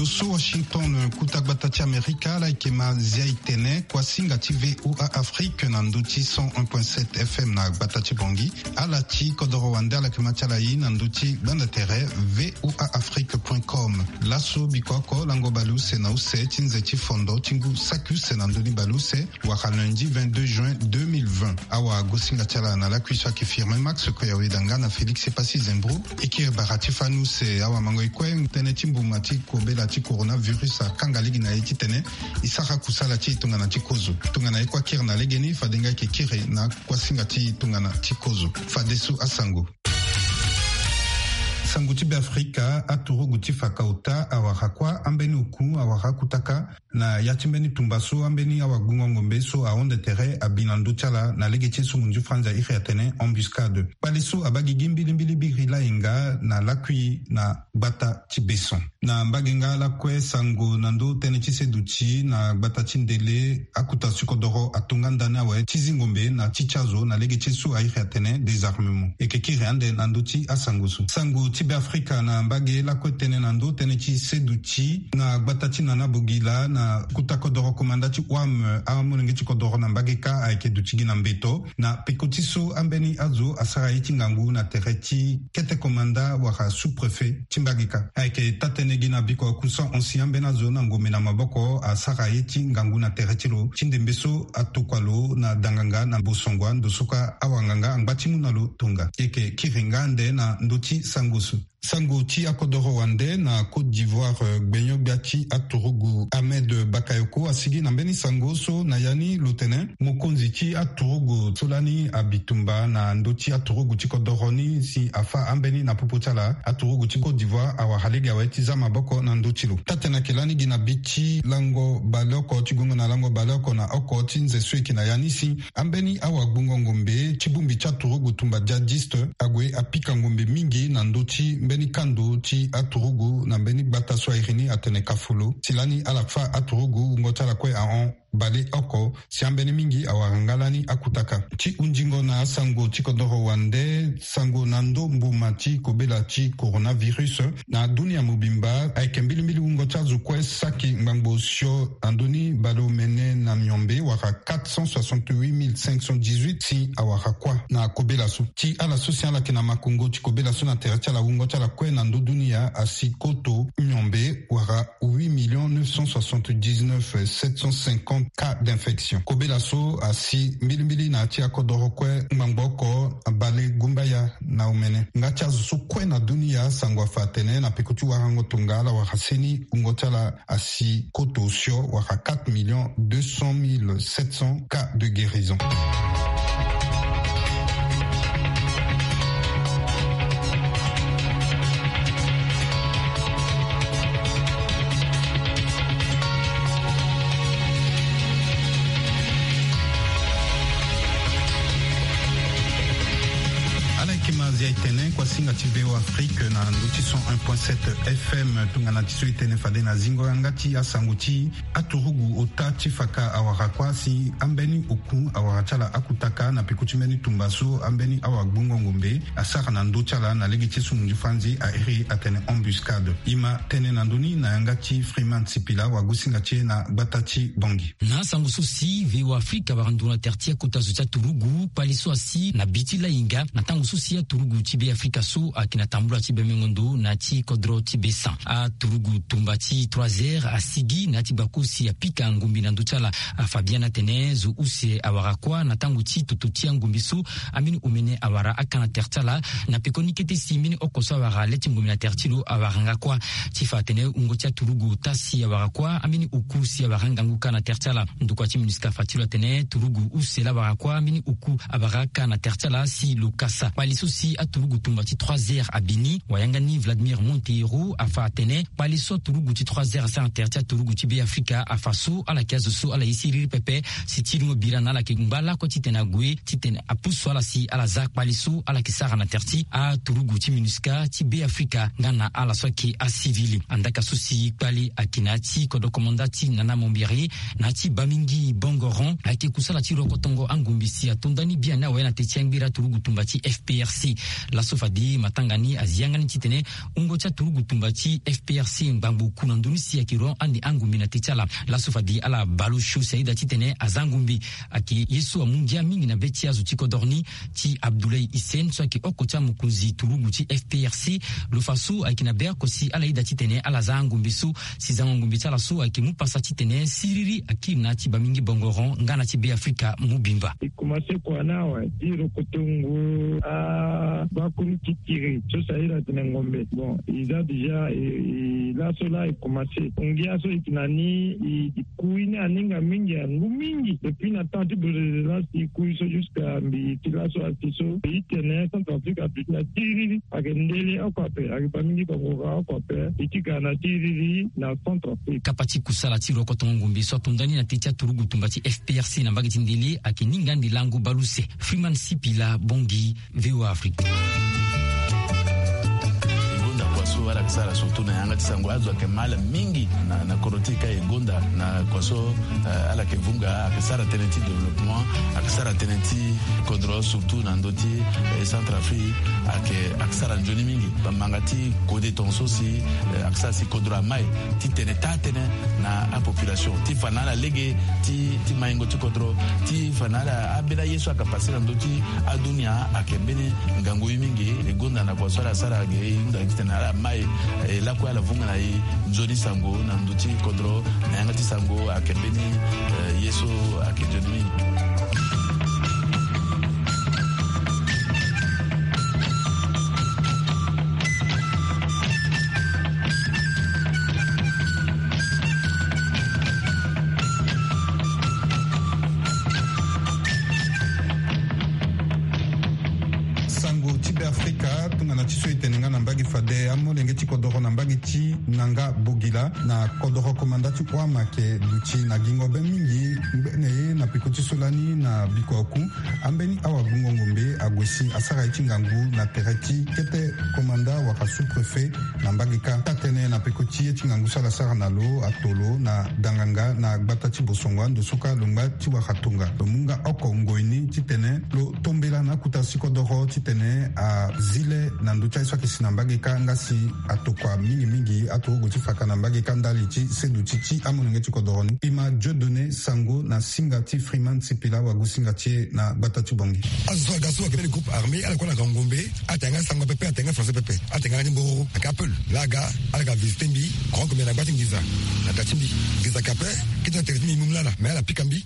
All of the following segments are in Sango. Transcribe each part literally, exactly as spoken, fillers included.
So Washington, kuta gbata ti Amerika, ala yeke ma zia e tene kuasinga ti V O A Afrique na ndö ti cent un point sept F M na gbata ti Bangui. Ala ti kodoro wande ala yeke ma ti ala ye na ndö ti gbanda tere V O A Afrique point com. Laso biko oko lango baleuse na use ti nze ti fondo ti ngu saki use na ndö ni baleuse, wala lundi vingt-deux juin deux mille vingt. Awagosinga ti ala na lakui so ayeke Firmin Max Koyawe Danga na Félix Epassi Zembro. E kiri bara ti fani use. Awamango e kue, tënë ti mbuma ti kobela ti coronavirus akanga lege na e titene e sara kusala ti e tongana ti kozo. Tongana e kue akiri na legeni, fade nga e yeke kiri na kuasinga ti tongana ti kozo. Fadeso asango. Sango ti Beafrika, aturugu ti faka ota awara kuâ, ambeni oku awara akutaka. Na ya ti mbeni tumba so, ambeni awagbungo ngombe so ahonde tere abi na ndö ti ala na lege ti e so munzu franzi a iri atene embuscade. Kpale so abaa gigi mbilimbili biri lahinga na lakui na gbata ti Besson. Na mbage nga lakue, sango na ndö tënë ti seduti na gbata ti Ndele, akuta ti kodoro atonga ndani awe ti zi ngombe na ti ti azo na lege ti e so a iri atene désarmement. E yeke kiri ande na ndö ti asango so. Sango ti Beafrika na mbage lakue, tënë na ndö tënë ti seduti na gbata ti Nana Bogila, na kuta kodoro komanda ti wam amolenge ti kodoro na mbage kâ ayeke duti gi na mbeto. Na peko ti so, ambeni azo asara ye ti ngangu na tere ti kete komanda wala sous-préfet ti mbage kâ. Ayeke taa-tënë gi na biko kusa honsi ambeni azo na ngombe na maboko asara ye ti ngangu na tere ti lo ti ndembe so atokua lo na danganga na bosongua ndo so kâ awanganga angba ti mu na lo tonga. E yeke kiri nga ande na ndö ti sango so. Sango ti akodoro wande na Côte d'Ivoire, eh, gbenyo-gbia ti aturugu Ahmed Bakayoko asigi na mbeni sango so na ya ni lo tene mokonzi ti aturugu so lani abitumba na ndö ti aturugu ti kodoro ni si afâ ambeni na popo ti ala, aturugu ti Côte d'Ivoire awara lege awe ti zia maboko na ndö ti lo. Taa-tënë ayeke lani gi na bi ti lango baleoko ti gongo na lango baleoko na oko ti nze so e yeke na ya ni si ambeni awagbungo ngombe ti bongbi ti aturugu tumba djihadiste ague apika ngombe mingi na ndö ti mbeni kando ti aturugu na mbeni gbata so a iri ni atene Kafolo. Ti lani ala fâ aturugu wungo ti ala kue ahon baleoko si ambeni mingi awara nga lani akutaka. Ti hunzingo na asango ti kodoro wande, sango na ndö mbuma ti kobela ti coronavirus na dunia mobimba, ayeke mbilimbili wungo ti azo kue saki ngbangbo osio na ndö ni baleomene na miombe wala quatre cent soixante-huit mille cinq cent dix-huit si awara kuâ na kobela so. Ti ala so si ala yeke na makongo ti kobela so na tere ti ala, wungo ti ala kue na ndö dunia asi koto miombe wala huit millions neuf cent soixante-dix-neuf sept cent cinquante cas d'infection. Kobela so asi mbilimbili na ya ti akodoro kue ngbangbo oko balegumbaya na omene. Nga ti azo so kue na dunia, sango afa atene na peko ti warango tonga ala wara seni, wungo ti ala asi koto osio wala quatre millions deux cent mille sept cents cas de guérison. Ala yeke ma zia e tene kuasinga ti V O A Afrique na ndö ti cent un point sept F M. Tongana ti so e tene fade na zingo yanga ti asango ti aturugu ota ti faka awara kuâ si ambeni oku awara ti ala akutaka na peko ti mbeni tumba so ambeni awagbungo ngombe asara na ndö ti ala na lege ti e so munzu franzi a iri atene embuscade. E ma tene na ndö ni na yanga ti Freeman Sipila, wagosinga ti e na gbata ti Bangui. Na asango so si V O A Afrique awara nduru na tere ti akota zo ti aturugu, kpale so asi na bi ti lahinga na tango so si aturugu ti Beafrika so ayeke na tambula ti Bemengondo na ti kodro ti Bessan. Aturugu tumba ti trois R asigi na ya ti gbako si apika ngombe na ndö ti ala. Afa biani atene zo use awara kuâ na tango ti toto ti angombe so ambeni omene awara aka na tere ti ala. Na pekoni kete si mbeni oko so awara le ti ngombe na tere ti lo awara nga kuâ. Ti fa atene wungo ti aturugu ota si awara kuâ, ambeni oku si awara ngangu kâ na tere ti ala. Ndokua ti MINUSCA afa ti lo atene turugu use laa awara kuâ, ambeni oku awara kâ na tere ti ala si lo kasa. Kpale so si aturugu tumba ti trois R abi ni, wayanga ni Vladimir Monteiro afa atene kpale so aturugu ti trois R asara na tere ti aturugu ti Beafrika afa so ala yeke azo so ala ye siriri pepe. Si ti lingo bira na ala yeke ngba lakue titene ague titene apusu ala si ala za kpale so ala yeke sara na tere ti aturugu ti MINUSCA ti Beafrika nga na ala so ayeke asivili. Andaka so si kpale ayeke na ya ti kodro komanda ti Nana Mombiri, na ya ti Bamingi Bongoron, ayeke kusala ti rokotongo angombe si ato ndani biani awe na te ti angbiri aturugu tumba ti F P R C. Laso fade Ye matanga ni azi yanga ni titene wungo ti aturugu tumba ti F P R C ngbangbo ku na ndoni si ayeke ro ande angombe na te ti ala. Laso fade ala bale osio si ayeda titene aza ngombe. Ayeke ye so amu ngia mingi na be ti azo ti kodoro ni, ti Abdoulaye Hissène so ayeke oko ti amokonzi turugu ti F P R C. Lo fa so ayeke na be oko si ala yeda titene ala za angombe so si zango ngombe ti ala so ayeke mu pasa titene siriri akiri na ya ti bamingi bongoro nga na ti Beafrika mobimba. E komanse kua ni awe ti rokotongo abakuru titiri so si ayeda tene ngombe. Bon, e za déjà, e, e, laso laa e komanse. Ngia so e yeke na ni, e, e kui ni aninga mingi, angu mingi. Depuis na temps ti Bourgeoisie laa si e kui so jusqu'à mbi ti laso asi so. E tene Centrafrique aduti na tiriri. Ayeke ndele oko ape, ayeke bamingi bongoro oko ape. E ti ga na tiriri na Centrafrique. Kapa ti kusala ti rokotongo ngombe so atonda ni na te ti aturugu tumba ti F P R C na mbage ti ndele ayeke ninga ande lango baleuse. Freeman Sipila Bongi, V O A Afrique. E gonda kua so ala yeke sara surtout na yanga ti sango, azo ayeke ma ala mingi na, na kodro ti e ka e gonda na kua so, eh, ala yeke vunga, ayeke sara tënë ti développement, ayeke sara tënë ti kodro surtout na ndö ti, eh, Centrafrique, ayeke, ayeke sara nzoni mingi. Bamanga ti kode tongaso si, eh, ayeke sara si kodro amai ti tene taa tënë na apopulation ti fa na ala lege ti, ti maingo ti kodro, ti fa na ala ambeni aye so ayeke pase na ndö ti adunia ayeke mbeni ngangu ye mingi. E gonda na kua so ala sara ge, e hunda titene ala mai, e lakue ala vunga na e nzoni sango na ndö ti kodro, na yanga ti sango ayeke mbeni, eh, ye so ayeke nzoni mingi. Sango ti Beafrika, tongana ti so e tene nga na mbage fade, amolenge ti kodoro na mbage ti Nanga Bogila na kodoro komanda ti Oam ayeke duti na gingo be mingi ngbene ye na peko ti so lani na bikua oku. Ambeni awagbungo ngombe ague si asara ye ti ngangu na tere ti kete komanda wala sous-préfet na mbage kâ. Taa-tënë na peko ti ye ti ngangu so ala sara na lo ato lo na danganga na gbata ti Bosongo ando so kâ lo ngba ti wara tonga. Lo mu nga oko ngoi ni titene lo tombela na akota si kodoro titene azi le na ndö ti aye so ayeke si na mbage kâ nga si atokua mingi mingi aturugu ti faka na mbage kâ ndali ti seduti ti amolenge ti kodoro ni. E ma Dieudonné Sango na singa ti Freeman Sipila wagosinga ti e na gbata ti Bangui. Azo so aga so ayeke mbeni groupe armé, ala kue ala ga ngombe, atene nga sango pepe, atene nga français pepe, atene nga ni mbororo, ayeke apel. Laa aga, ala ga visite mbi, grand commandant na gba ti nginza, na da ti mbi. Nginza ayeke ape, kete na tere ti mbi, mbi mu lala, mais ala pika mbi,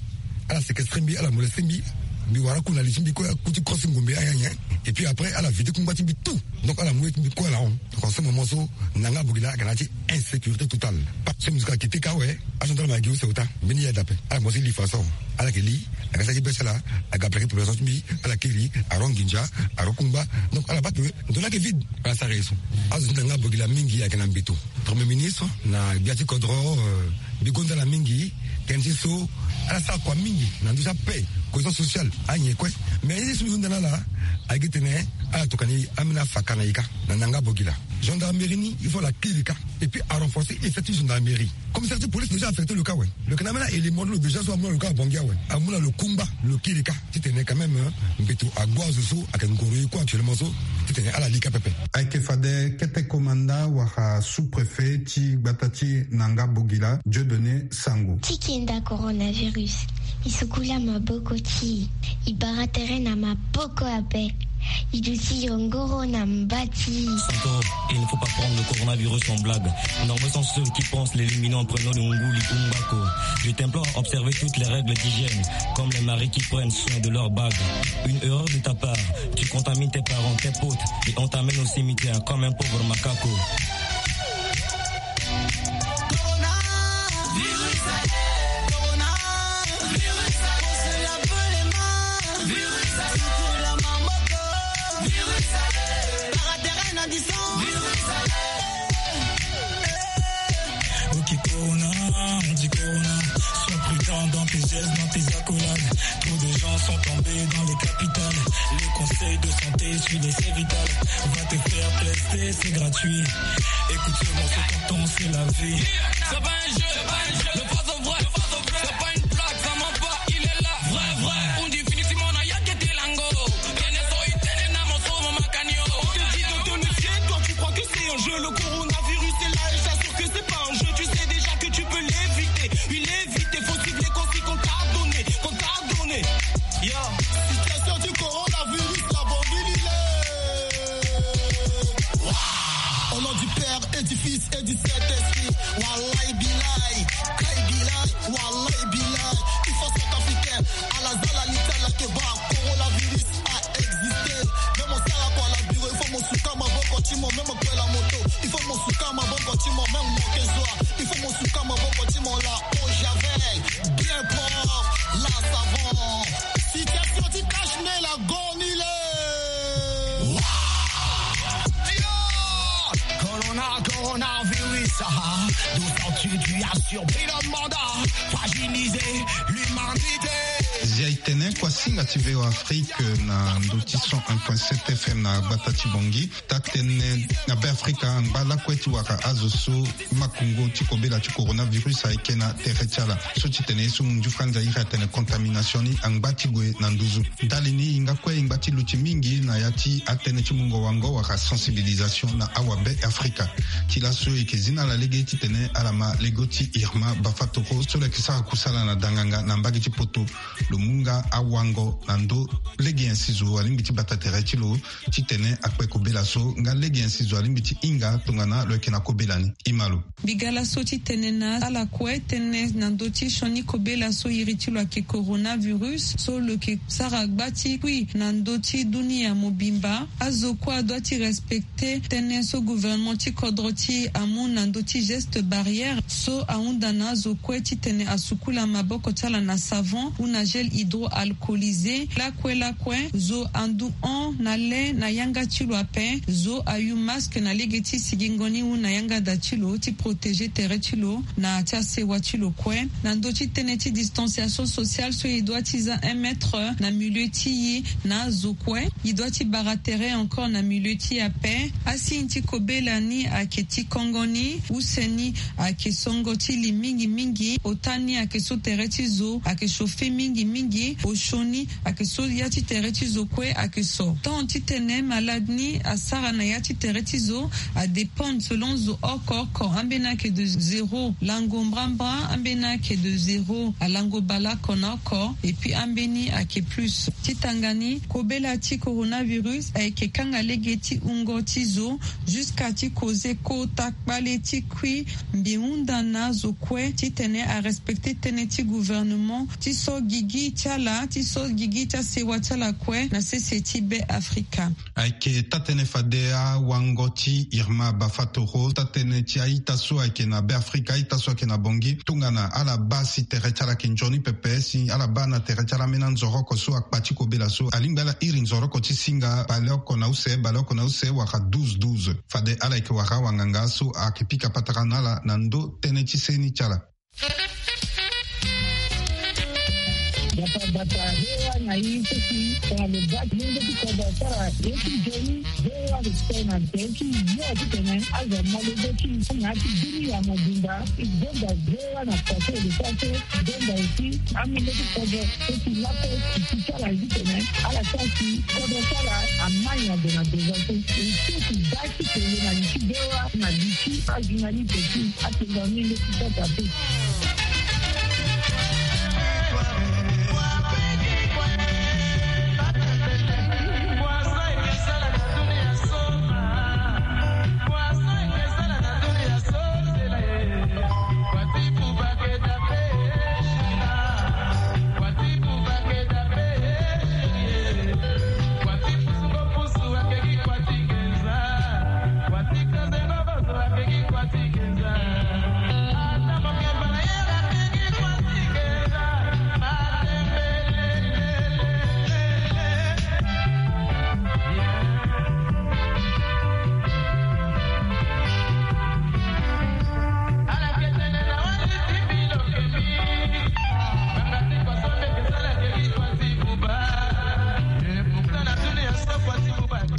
ala séquestrer mbi, ala molester mbi, mbi wara aku na li ti mbi kue, aku ti crosse ngombe ayen ayen. Et puis après, ala vide kungba ti mbi tout. Donc ala mu ye ti mbi kue ala hon. Donc en ce moment so, Nanga Bogila ayeke na ya ti insécurité totale. Parce que musique ayeke te ka awe, agendarme ayeke gi use ota. Mbeni ye adape. Ala mo si li façon. Ala yeke li, aga sara ti be ti ala, aga plaqué population ti mbi, ala kiri, aro nginza, aro kungba. Donc ala baa ke ndo ni ayeke vide. Ala sara ye so. Azo ti Nanga Bogila mingi ayeke na mbeto. Premier ministre na gbia ti kodro, euh, mbi gonda ala mingi. Tënë ti so, ala sara kua mingi na ndö ti apaix, cohésion sociale, anyen kue. Mais ye ti so mbi hunda na ala, ayeke tene ala tokua ni ambeni afaka na e kâ. Na Nanga Bogila, gendarmerie ni, il faut ala kiri kâ. Et puis a renforcer effectif gendarmerie. Commissariat ti police déjà affecté lo kâ awe. Lo yeke na ambeni élément ti lo déjà so amu na lo kâ na Bangui awe. Amu na lo kungba, lo kiri kâ. Titene quand même, hein, mbeto ague azo so ayeke ngoro ye kue actuellement so, titene ala li kâ pepe. Ayeke fade kete komanda wala sous-préfet ti gbata ti Nanga Bogila, Dieudonné Sango. Ti kenda coronavirus, e sukula maboko ti e, e bara tere na maboko ape. E duti yongoro na mba ti e. Encore, il ne faut pas prendre le coronavirus en blague. Nombreux sont ceux qui pensent l'éliminer en prenant le nguli ou mbako. Je t'implore à observer toutes les règles d'hygiène, comme les maris qui prennent soin de leur bague. Une erreur de ta part, tu contamines tes parents, tes potes, et on t'amène au cimetière comme un pauvre macaco. Ok, Corona, on dit Corona. Sois prudent dans tes gestes, dans tes accolades. Trop de gens sont tombés dans les capitales. Les conseils de santé, suis l'essai vital. Va te faire tester, c'est gratuit. Écoute ce morceau, tonton, c'est la vie. C'est pas un jeu, c'est pas un jeu. Le poison vrai, le poison vrai. C'est pas une blague, ça ment pas, il est là. Vrai, vrai. On dit fini, Simon, na yake dilango. Kene so itene na moso, mama kanio. On te dit de Et du Fils et du Saint-Esprit. Wallahi billahi, kai billahi, wallahi billahi. Il faut centrafricain, à la zala l'Italie que bat coronavirus a existé. Même au Sarako à la bureau, il faut mon souka ma boko timo, même au la moto. Il faut mon souka ma boko timo, même mon kezwa. Il faut mon souka ma boko timo la au javel. Bien propre, la savon. Situation du cache-nez la gonile. Corona, coronavirus, ah, d'où sors-tu? Tu as surpris le monde, fragilisé l'humanité. Zia e tene kua singa ti V O Afrique na ndö ti cent un point sept F M na gbata ti Bangui. Taa-tënë na Beafrika angba lakue ti wara azo so makongo ti kobela ti coronavirus ayeke na tere ti ala. So ti tene ye so munzu franza iri atene contamination ni angba ti gue na nduzu. Ndali ni e hinga kue e ngba ti luti mingi na ya ti atënë ti mungo wango wala sensibilisation na awabe Afrika. Ti laso e yeke zi na ala lege ti tene ala ma lego ti Irma Bafatoro so lo yeke sara kusala na danganga na mbage ti poto. Lo mu nga awango na ndö lege nyen si zo alingbi ti bata tere ti lo ti tene akpe kobela so nga lege nyen si zo alingbi ti hinga tongana lo yeke na kobela ni. E ma lo. Mbi ga laso ti tene na ala kue tënë na ndö ti sioni kobela so iri ti lo ayeke coronavirus so lo yeke sara gba ti kui na ndö ti dunia mobimba. Azo kue adoit ti respecter tënë so gouvernement ti kodro ti e amu na ndö ti geste barrière so ahunda na azo kue ti tene asukula maboko ti ala na savon ou na gel hydroalcoolisé. Lakue lakue zo andu hon na le na yanga ti lo ape. Zo ayu masque na lege ti sigingo ni ou na yanga da ti lo ti protéger tere ti lo na ti asewa ti lo kue. Na ndö ti tënë ti distanciation sociale so e doit ti za un mètre na milieu ti e na azo kue. E doit ti bara tere encore na milieu ti e ape. Asigne ti kobela ni ayeke ti kongo ni, use ni ayeke songo ti li mingi mingi, ota ni ayeke so tere ti zo ayeke chauffer mingi mingi, osio ni ayeke so ya ti tere ti zo kue ayeke so. Temps ti tene malade ni asara na ya ti tere ti zo adépendre selon zo oko oko. Ambeni ayeke de zéro, lango mbrambra. Ambeni ayeke de zéro, alango baleoko na oko. Et puis ambeni ayeke plus. Ti tanga ni, kobela ti coronavirus ayeke kanga lege ti wungo ti zo jusqu'à ti koze kota kpale ti kui. Mbi hunda na azo kue ti tene arespecter tënë ti gouvernement ti so gigi ti ala, ti so gigi ti asewa ti ala kue na sese ti Beafrika. Ayeke taa-tënë fade awango ti Irma Bafatoro, taa-tënë ti a-ita so ayeke na Beafrika, a-ita so ayeke na Bangui, tongana ala baa si tere ti ala ayeke nzoni pepe, si ala baa na tere ti ala ambeni anzoroko so akpa ti kobela so alingbi ala iri nzoroko ti singa baleoko na use, baleoko na use wala douze douze. Fade ala yeke wara awanganga so ayeke pika patara na ala na ndö tënë ti seni ti ala. Bata bata, V O A na e so si tongana lo baa lenge ti kodro asara ye ti nzoni, V O A respect na tere ti yo ti tene azo amolenge ti na ya ti dunia mobimba. E gonda V O A na façon e lo sara so, gonda aussi amolenge ti kodro so si lakue e ti sara ye ti tene ala sara si kodro ti ala amai na ndo na ndo so. E so si baa ti tene na li ti V O A na li ti ajournaliste ti atongani leti tata pe.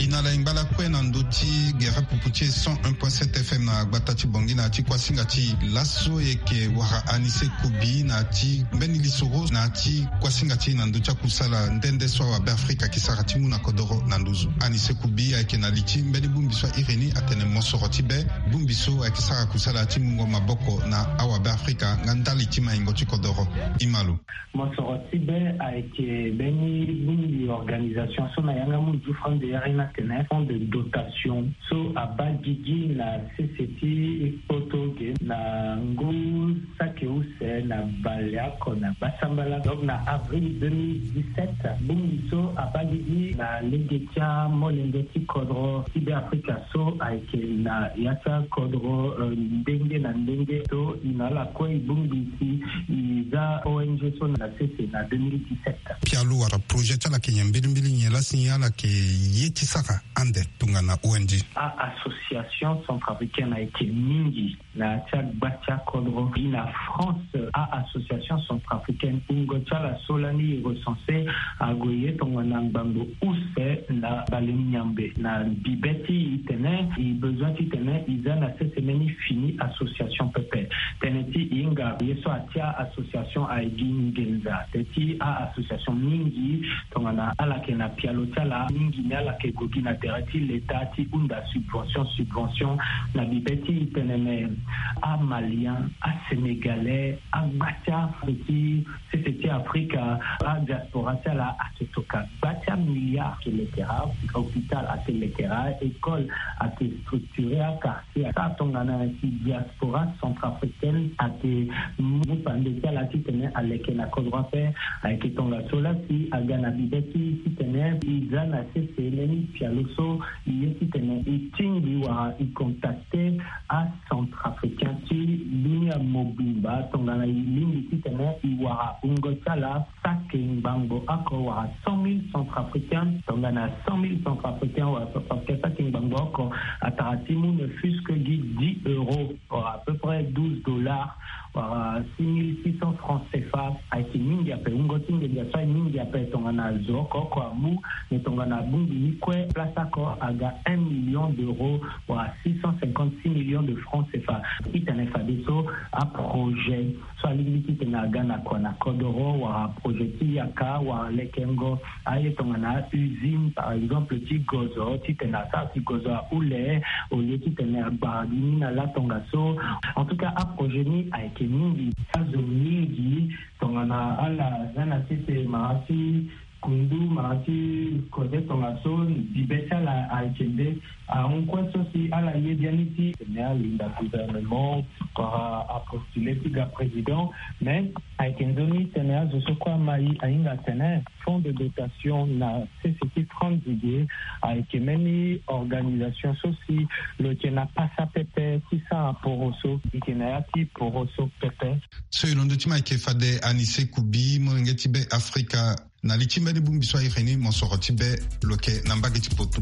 E na ala e ngba lakue na ndö ti gere pupu ti e cent un point sept F M na gbata ti Bangui. Na ti kuasinga ti laso e yeke wara Anise Kubi na ti mbeni lisoro na ti kuasinga ti na ndö ti akusala nde nde so awabe Afrika ayeke sara ti mu na kodoro na nduzu. Anise Kubi ayeke na li ti mbeni bongbi so a iri ni atene mosoro ti be bongbi so ayeke sara kusala ti mungo maboko na awabe Afrika nga ndali ti maingo ti kodoro. E ma lo. Mosoro ti be ayeke mbeni bongbi organisation so na yanga mu ti France de yari ni atene fonds de dotation so abaa gigi na sese ti kpoto ge na ngu saki use na baleoko na gbasambala. Donc na avril deux mille dix-sept, bongbi so abaa gigi na lege ti amolenge ti kodro ti be Afrika so ayeke na ya ti akodro, euh, ndenge na ndenge so e na ala kue e bongbi si e za O N G so na sese na deux mille dix-sept. Pialo wala projet ti ala ayeke nyen mbilimbili, nyen la si ala yeke ye ti sara ande tongana O N G? A-association centrafricaine ayeke mingi na ya ti agba ti akodro. Gi na France, a-association centrafricaine, wungo ti ala so lani e recense ague ye tongana ngbangbo use na bale nyambe. Na bibe ti e tene e besoin ti tene e za na sese mbeni fini association pepe. Tënë ti e hinga ye so atia association ayeke gi nginza. Tënë ti a-association mingi tongana ala yeke na pialo ti ala, mingi ni ala yeke gue gi na tere ti leta ti hunda subvention, subvention na bibe ti tene me amalien, asénégalais, agba ti afe ti sese ti Afrika, adiaspora ti ala ayeke toka gba ti amilliard. Ayeke lekera hôpital, ayeke lekera école, ayeke structuré aka. Si asara tongana si diaspora centrafricaine ayeke mu pande ti ala titene aleke na kodro ape, ayeke tongaso laa si aga na bibe ti titene e za na sese mbeni pialo so e ye titene e tingbi wala e contacte acentrafricain ti dunia mobimba tongana e lingbi titene e wara wungo ti ala saki ngbangbo oko wala cent mille centrafricains. Tongana cent mille centrafricains wala centrafricains saki ngbangbo oko, atara ti mu ne fût-ce que gi dix euros, wala à peu près douze dollars, wala six mille six cents francs C F A, ayeke mingi ape. Wungo ti nginza so ayeke mingi ape. Tongana zo oko oko amu, me tongana abongbi ni kue, place oko aga un million d'euros, wala six cent cinquante-six millions de francs C F A. Titene fadeso aprojet so alingbi titene aga na kua na kodoro, wala projet ti yaka, wala lekengo aye tongana usine, par exemple, ti gozo, titene asara si gozo ahule, au lieu titene agbara gi ni na la tongaso. En tout cas, aprojet ni ayeke mingi. Azo mingi tongana ala za na sese mara ti kundu, mara ti kode tongaso, bibe ti ala ayeke nde ahon kue so si ala ye biani ti tene alinda gouvernement, wala apostule ti ga président. Mais ayeke nzoni tene azo so kue ama e ahinga atene fonds de dotation na sese ti France ge ayeke mbeni organisation so si lo yeke na pasa pepe ti sara poroso, e yeke na ya ti poroso pepe. So e londo ti ma ayeke fade Anise Kubi, molenge ti be Afrika. Na li ti mbeni bongbi so a iri ni mosoro ti be, lo yeke na mbage ti poto.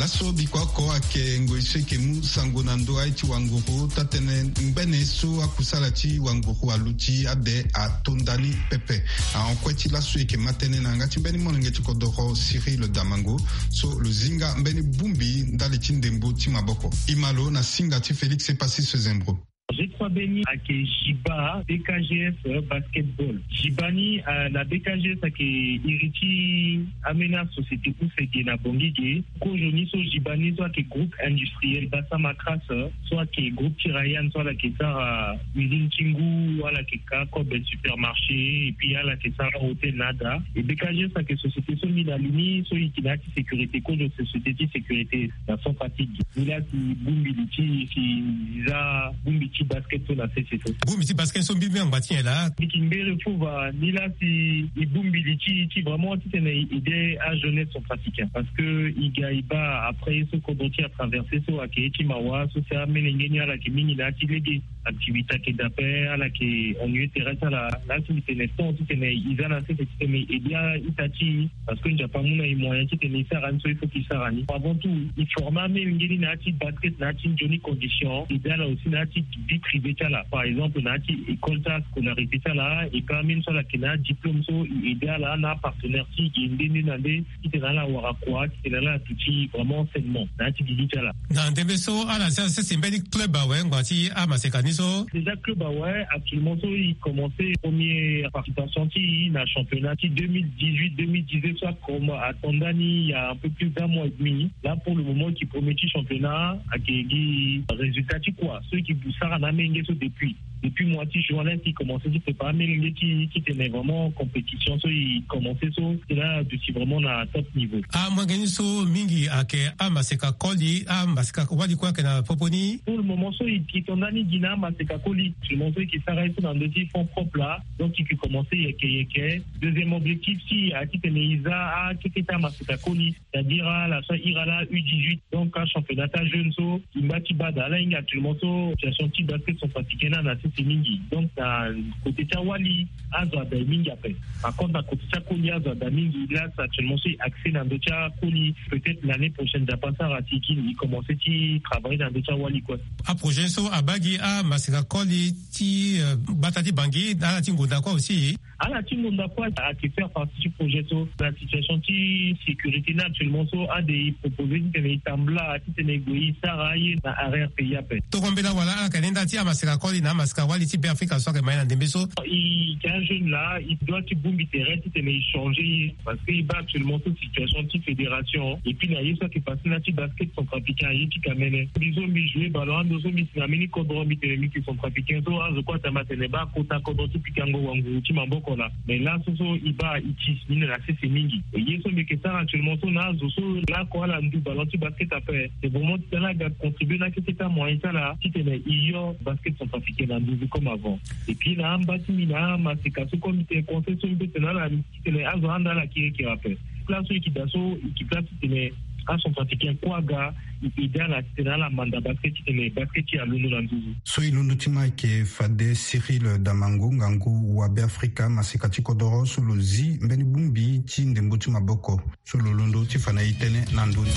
Laso bikua oko ayeke ngoi so e yeke mu sango na ndö aye ti wanguru, taa-tënë ngbene so akusala ti wanguru aluti ade ato ndani pepe. Ahon kue ti laso e yeke ma tënë na yanga ti mbeni molenge ti kodoro Cyril Damango, so lo zinga mbeni bongbi ndali ti ndembo ti maboko. E ma lo na singa ti Félix Epassis Zembro. G trois B ni ayeke Jiba B K G S basketball. Jiba ni, euh, na B K G S ayeke iri ti ambeni asociété use ge na Bangui ge. Kozo ni so Jiba ni so ayeke groupe industriel Bassam Acras, so ayeke groupe ti Rayan so ala yeke sara usine ti ngu, ala yeke ka kobe supermarché, et puis ala yeke sara hôtel na ada. E B K G S ayeke société so mbi na li ni so e yeke na ya ti sécurité, kozo société ti sécurité na Centrafrique. Ni laa si bongbi li ti si za bongbi ti basket so na sese so. Bongbi ti basket so mbi mbi angba ti nyen laa? Mbi yeke mbere fo va ni laa si e bongbi li ti e ti vraiment titene e aide ajeunesse centrafricain parce que e ga e baa après ye so kodro ti e atraverse so ayeke ye ti mawa so si amelenge ni ala yeke mingi na ya ti lege. Activité ayeke daa ape, ala yeke ennuyé tere ti ala. Laa si mbi tene temps titene e za na sese titene e aide a-ita ti e parce que Nzapa amu na e moyen titene e sara ni so il faut que e sara ni. Avant tout, e forme amelenge ni na ya ti basket na ya ti nzoni condition, e aide ala aussi na ya ti vie privée ti ala, par exemple na ya ti école ti ascolarité ti ala. E ka même so ala yeke na adiplôme so e aide ala na apartenaire ti e nde nde na nde titene ala wara kua titene ala duti vraiment enseignement na ya ti gigi ti ala. Na ndembe so ala si asese mbeni club awe ngbanga ti amaseka ni so? Déjà club awe, actuellement so e commencé première participation ti e na championnat ti deux mille dix-huit deux mille dix-neuf so akomba ato ndani il y a un peu plus d'un mois et demi. Là pour le moment e yeke premier ti championnat, ayeke gi résultat ti kua so e yeke sara na amenge so depuis. Depuis mois ti juin laa si e commencé ti prépare amenge ti titene vraiment compétition so e commencé so, e laa duti vraiment na top niveau. Amolenge ni so mingi ayeke amaseka koli, amaseka wali kue ayeke na popo ni? Pour le moment so e yeke to ndani gi na amaseka koli, actuellement so e yeke sara ye so na ndö ti fonds propre laa. Donc e yeke commencé yeke yeke. Deuxième objectif ti e ayeke titene e za akeke ti amaseka koli, c'est-à-dire ala so ahiri ala U dix-huit, donc achampionnat ti ajeune so e ngba ti baa daa. Ala hinga actuellement so situation ti basket centrafricain ni ala na sese mingi. Donc na côté ti awali azo ada e mingi ape. Par contre na côté ti akoli azo ada mingi. Laa actuellement so e accès na ndö ti akoli. Peut-être l'année prochaine Nzapa asara si e kiri e commencé ti travailler na ndö ti awali kue. Aprojet so abaa gi amaseka koli ti, euh, gbata ti Bangui na ala ti ngonda kue aussi? Ala ti ngonda kue ayeke faire partie ti projet so. Na situation ti sécurité ni actuellement so ade e proposé titene e tambula titene e gue e sara aye na arrière pays ape. Tongana mbela wala ala yeke na nda ti amaseka koli na amaseka wali ti Beafrika so ayeke ma ye na ndembe so? E yeke ajeune laa e doit ti bongbi tere titene e changer ye parce que e baa actuellement so situation ti fédération et puis na ye so ayeke passé na ya ti basket centrafricain aye ti kamene. Mbi so mbi joué ballon ando so mbi si na mbeni kodro mbi tene mbi yeke centrafricain so azo kue atama atene baa kota kodro ti pikango wanguru ti maboko laa. Mais laso so e baa e ti si ni na sese mingi. E ye so mbi yeke sara actuellement so na azo so laoko ala ndu ballon ti basket ape, c'est vraiment titene ala ga contribué na akeke ti amoyen ti ala titene e yo basket centrafricain na nduzu comme avant. Et puis na amba ti mbi na amaseka so comme mbi tene conseil so mbi peut tene na ala titene azo ahanda ala kirikiri ape. Place so e yeke daa so e yeke place titene acentrafricain kue aga e aide ala titene ala manda basket titene basket ti e alondo na nduzu. So e londo ti ma ayeke fade Cyril Damango, ngangu wa Beafrika, maseka ti kodoro so lo zi mbeni bongbi ti ndembo ti maboko so lo londo ti fa na e tënë na ndö ni.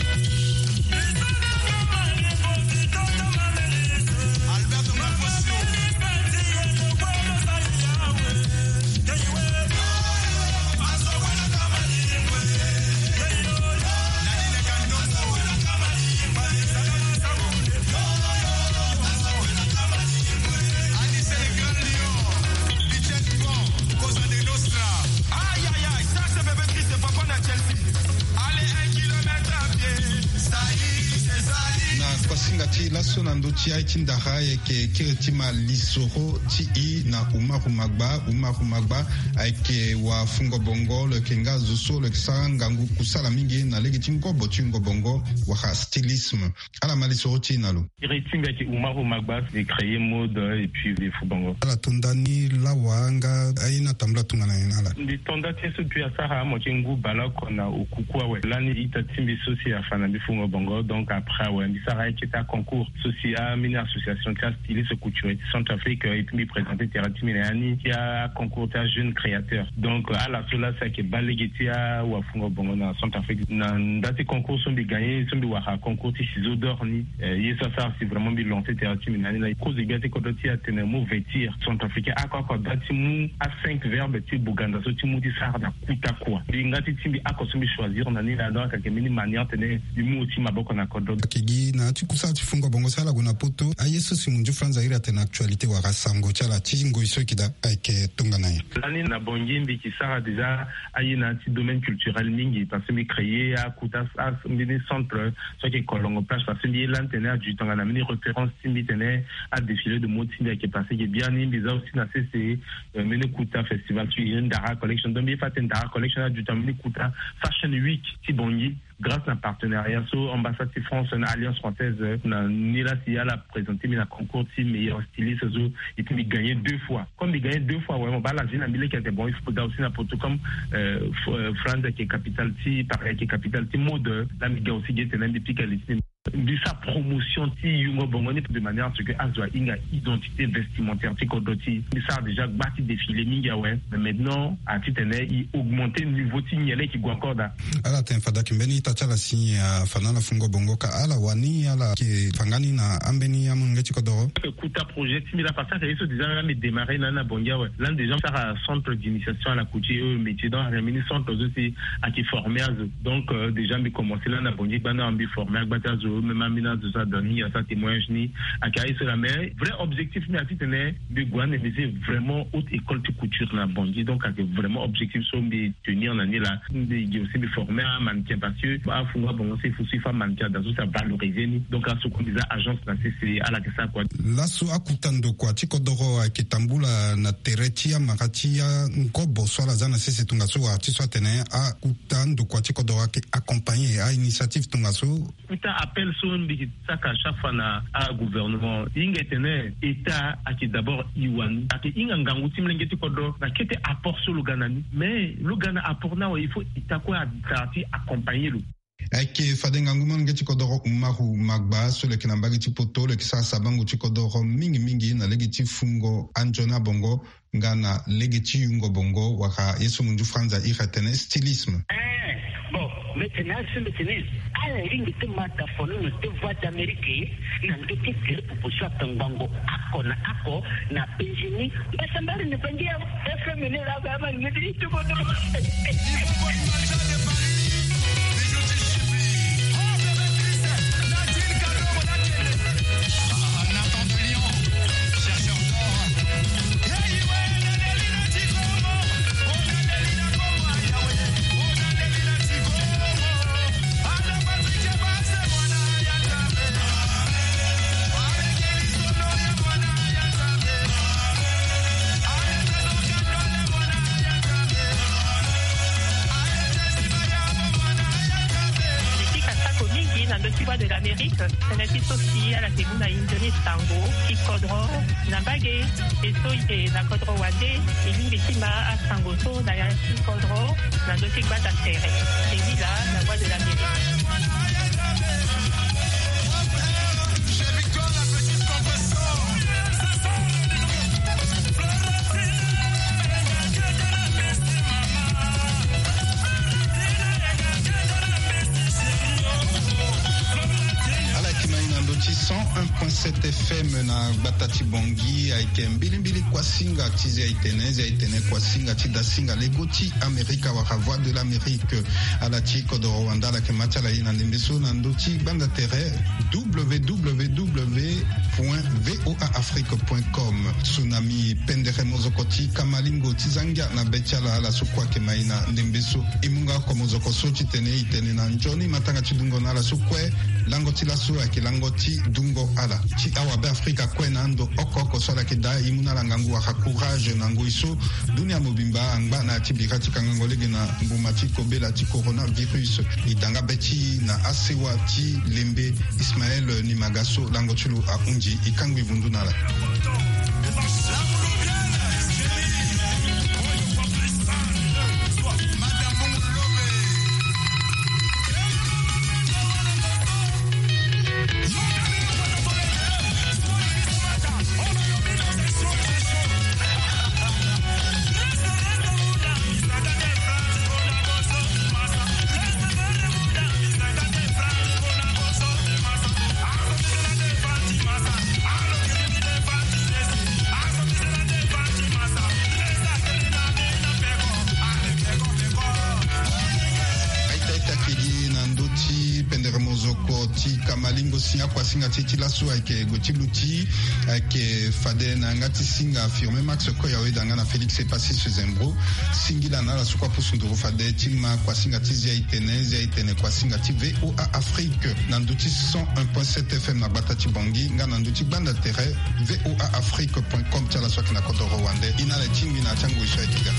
Aïe, aïe, aïe, ça, c'est bébé Chris, c'est papa na Chelsea. Allez, un kilomètre à pied. Ça y est, c'est ça y est. Na kuasinga ti laso na ndö ti aye ti ndara ayeke kiri ti ma lisoro ti e na Umaru Magba. Umaru Magba ayeke wa fungo bongo, lo yeke nga zo so lo yeke sara ngangu kusala mingi na lege ti ngobo ti wungo bongo wala stylisme. Ala ma lisoro ti e na lo. Iri ti mbi ayeke Umaru Magba, mbi créé mode et puis mbi fu bongo. Ala to nda ni lawa nga aye ni atambula tongana nyen na ala? Mbi to nda ti ye so mbi asara amo ti ngu baleoko na okuku awe. Lani ita ti mbi so si afa na mbi fu ngo bongo, donc après awe mbi sara aye ti ita concours so si ambeni association ti astyliste couturier ti Centrafrique, euh, et puis mbi présenter tere ti mbi na ya ni ti aconcours ti ajeune créateur. Donc ala so laa si ayeke baa lege ti awafungo bongo na Centrafrique. Na nda ti concours so mbi gagné so mbi wara concours ti ciseau d'or ni. Eh, ye so asara si vraiment mbi lancer tere ti mbi na ni laa. Kozo gbia ti kodro ti e atene mo vêtir centrafricain oko oko ada ti mu a cinq verbe ti buganda so ti mu ti sara na kuta kua. Mbi nga ti ti mbi oko so mbi choisir na ni laa, donc ayeke mbeni manière tene mbi mu ti maboko na kodro. Ayeke gi na ya ti kusala ti fungo bongo so ala gue na poto. Aye so si munzu franza iri atene actualité wala sango ti ala ti ngoi so e yeke daa ayeke tongana nyen? Lani na Bangui mbi yeke sara déjà aye na ya ti domaine culturel mingi parce que mbi créé akuta, a, mbeni centre so ayeke Kolongo Plage parce que mbi ye lani tene adu tongana mbeni référence ti mbi tene adéfilé de mode ti mbi ayeke passé ge biani. Mbi za aussi na sese, euh, mbeni kuta festival so e Ndara Collection. Donc mbi ye fa atene Ndara Collection adu tongana mbeni kuta Fashion Week ti Bangui. Grâce na partenariat so ambassade ti France na Alliance française, euh, na ni la si ala présenter mbi na concours ti meilleur styliste so, et puis mbi gagner deux fois. Comme mbi gagner deux fois, vraiment, ba la vie na mbi leke ete bon, il faut ga aussi na poto comme, euh, F-, euh, France ayeke capitale ti, Paris ayeke capitale ti mode, la mbi ga aussi ge tene mbi pika li ti mbi sara promotion ti yungo bongo ni de manière à ce que azo ahinga identité vestimentaire ti kodro ti. Mbi sara déjà gba ti défilé mingi awe. Mais maintenant, a titene i augmenter niveau ti nyen leke i gue encore daa. Ala tene fade ayeke mbeni ita ti ala si afa na ala fungo bongo ka ala wani ala yeke fa nga ni na ambeni amolenge ti kodoro. Kuta projet ti mbi la parce que ye so déjà la mbi démarrer na, na Bangui awe. La déjà sara centre d'initiation à la couture et au métier. Donc ayeke mbeni centre so si ayeke former azo. Donc, euh, déjà mbi commencer la na Bangui gbanda mbi former agba ti azo, même ambeni azo so adon ni asara témoignage ni. Ayeke aye so la, mais vrai objectif mbi a titene mbi gue ande mbi si vraiment haute école ti couture na Bangui. Donc ayeke vraiment objectif so mbi tenir na ni la. Mbi gi aussi mbi former amannequin parce que afungo abongo si il faut si fa mannequin ada so si avaloriser ni. Donc aso kue mbi za agence na sese ala yeke sara kua. Laso akuta ndokua ti kodoro ayeke tambula na tere ti amara ti angobo so ala za na sese tongaso wala ti so atene akuta ndokua ti kodoro ayeke accompagner a-initiative tongaso. Kuta appel so mbi yeke saka chaque fois na agouvernement, hinga e tene État ayeke d'abord i wani ayeke hinga ngangu ti molenge ti kodro na kete apport so lo ga na ni. Mais lo ga na apport ni awe, il faut État kue azara ti accompagner lo. Ayeke fade ngangu molenge ti kodoro Umaru Magba so lo yeke na mbage ti poto, lo yeke sara sabango ti kodoro mingi mingi na lege ti fungo anzoni abongo nga na lege ti yungo bongo wala ye so munzu franza iri atene stylisme. Eh, bon, mbi tene azo mbi tene ala lingbi ti ma da fo ni na deux voix d'Amérique na ndö ti tere popo so atongbango ako na ako na Benjini. Mbasambari ni bangi ya F M ni la ba ma ni ti tuko do. Mbi sika sako mingi na ndö ti Voix de l'Amérique, tënë ti so si ala yeke mu na e nzoni sango ti kodro na mbage. E so e yeke na kodro wande, e lingbi ti ma asango so na ya ti kodro na ndö ti gbanda tere. E ni laa na Voix de l'Amérique. Ala yeke ma e na ndö ti cent un point sept F M na gbata ti Bangui. Ayeke mbilimbili kuasinga ti Zia Itene, Zia Itene kuasinga ti dasinga lego ti Amerika wala Voix de l'Amérique. Ala ti kodoro wande ala yeke ma ti ala e na ndembe so na ndö ti gbanda tere, W W W point V O A Afrique point com. Tsunami, pendere mozoko ti kamalingo ti zangia na be ti ala, ala so kue ayeke ma e na ndembe so. E mu nga oko mozoko so titene e tene na nzoni matanga ti dungo na ala so kue. Lango ti laso ayeke lango ti dungo ala. Ti awabe Afrika kue na ando oko oko so ala yeke daa e mu na ala ngangu wala courage na ngoi so dunia mobimba angba na ya ti bira ti kangango lege na mbuma ti kobela ti coronavirus. E da nga be ti e na asewa ti lembe Ismaël Nimaga so lango ti lo ahunzi, e kangbi vundu na ala. Aita ita kedi na ndö ti pendere mozoko ti kamalingo si akuasinga ti e ti laso ayeke gue ti luti. Ayeke fade na yanga ti singa Firme Max Koyawe da nga na Félix Epassis Zembro. Singila na ala so kue apusu nduru fade ti ma kuasinga ti Zia Itene, Zia Itene kuasinga ti V O A Afrique na ndö ti cent un point sept F M na gbata ti Bangui nga na ndö ti gbanda tere V O A Afrique point com ti ala so ayeke na kodoro wande. E na ala tingbi na ya ti angoi so ayeke ga.